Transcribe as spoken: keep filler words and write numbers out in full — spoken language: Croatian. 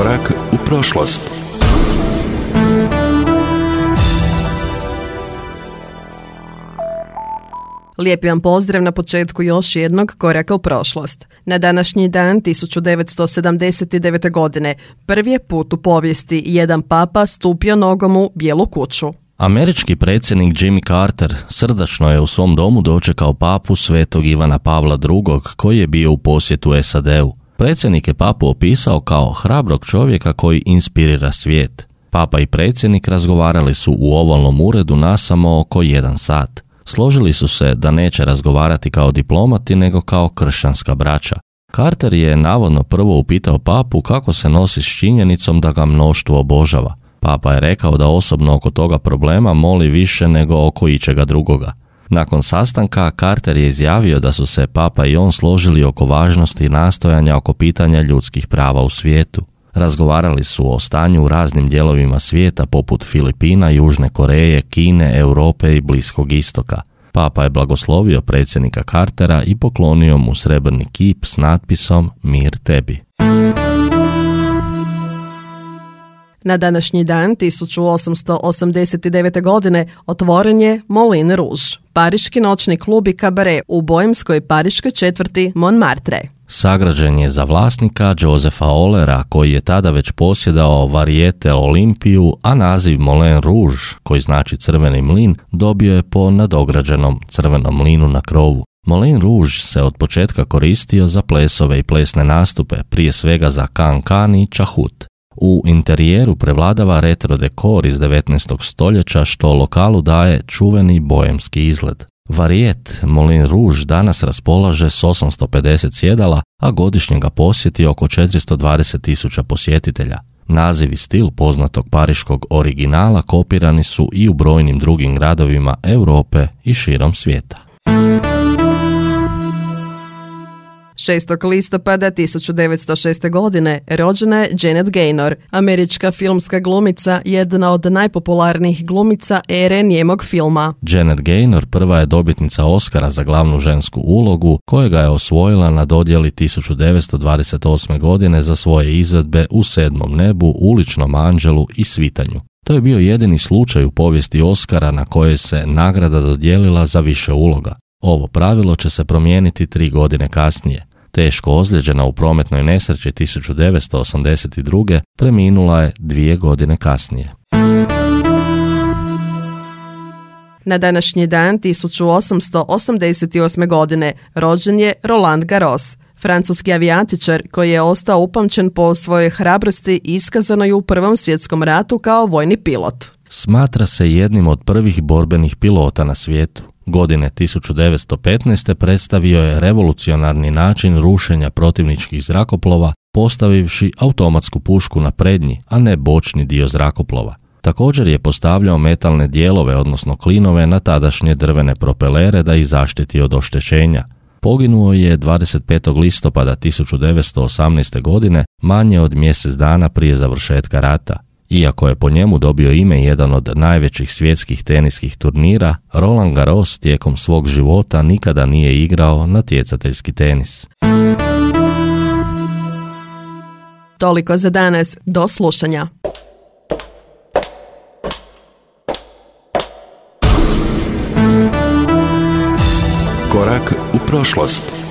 Korak u prošlost. Lijepi vam pozdrav na početku još jednog koraka u prošlost. Na današnji dan tisuću devetsto sedamdeset devete. godine prvi je put u povijesti jedan papa stupio nogom u Bijelu kuću. Američki predsjednik Jimmy Carter srdačno je u svom domu dočekao papu svetog Ivana Pavla drugog. koji je bio u posjetu S A D-u. Predsjednik je papu opisao kao hrabrog čovjeka koji inspirira svijet. Papa i predsjednik razgovarali su u ovalnom uredu nasamo oko jedan sat. Složili su se da neće razgovarati kao diplomati nego kao kršćanska braća. Carter je navodno prvo upitao papu kako se nosi s činjenicom da ga mnoštvo obožava. Papa je rekao da osobno oko toga problema moli više nego oko ičega drugoga. Nakon sastanka Carter je izjavio da su se papa i on složili oko važnosti nastojanja oko pitanja ljudskih prava u svijetu. Razgovarali su o stanju u raznim dijelovima svijeta poput Filipina, Južne Koreje, Kine, Europe i Bliskog istoka. Papa je blagoslovio predsjednika Cartera i poklonio mu srebrni kip s natpisom Mir tebi. Na današnji dan tisuću osamsto osamdeset devete. godine otvoren je Moulin Rouge, pariški noćni klub i kabare u boemskoj pariškoj četvrti Montmartre. Sagrađen je za vlasnika Josefa Ollera, koji je tada već posjedao Varieté Olimpiju, a naziv Moulin Rouge, koji znači crveni mlin, dobio je po nadograđenom crvenom mlinu na krovu. Moulin Rouge se od početka koristio za plesove i plesne nastupe, prije svega za can-can i čahut. U interijeru prevladava retro dekor iz devetnaestog stoljeća što lokalu daje čuveni boemski izgled. Varieté Moulin Rouge danas raspolaže s osamsto pedeset sjedala, a godišnje ga posjeti oko četiristo dvadeset tisuća posjetitelja. Naziv i stil poznatog pariškog originala kopirani su i u brojnim drugim gradovima Europe i širom svijeta. šestog listopada tisuću devetsto šeste. godine rođena je Janet Gaynor, američka filmska glumica, jedna od najpopularnijih glumica ere njemog filma. Janet Gaynor prva je dobitnica Oscara za glavnu žensku ulogu, kojega je osvojila na dodjeli tisuću devetsto dvadeset osme. godine za svoje izvedbe U sedmom nebu, Uličnom anđelu i Svitanju. To je bio jedini slučaj u povijesti Oscara na kojoj se nagrada dodijelila za više uloga. Ovo pravilo će se promijeniti tri godine kasnije. Teško ozlijeđena u prometnoj nesreći tisuću devetsto osamdeset druge. preminula je dvije godine kasnije. Na današnji dan tisuću osamsto osamdeset osme. godine rođen je Roland Garros, francuski avijatičar koji je ostao upamćen po svojoj hrabrosti iskazanoj u Prvom svjetskom ratu kao vojni pilot. Smatra se jednim od prvih borbenih pilota na svijetu. Godine tisuću devetsto petnaeste. predstavio je revolucionarni način rušenja protivničkih zrakoplova, postavivši automatsku pušku na prednji, a ne bočni dio zrakoplova. Također je postavljao metalne dijelove, odnosno klinove, na tadašnje drvene propelere da ih zaštiti od oštećenja. Poginuo je dvadeset petog listopada tisuću devetsto osamnaeste. godine, manje od mjesec dana prije završetka rata. Iako je po njemu dobio ime jedan od najvećih svjetskih teniskih turnira, Roland Garros tijekom svog života nikada nije igrao natjecateljski tenis. Toliko za danas, do slušanja. Korak u prošlost.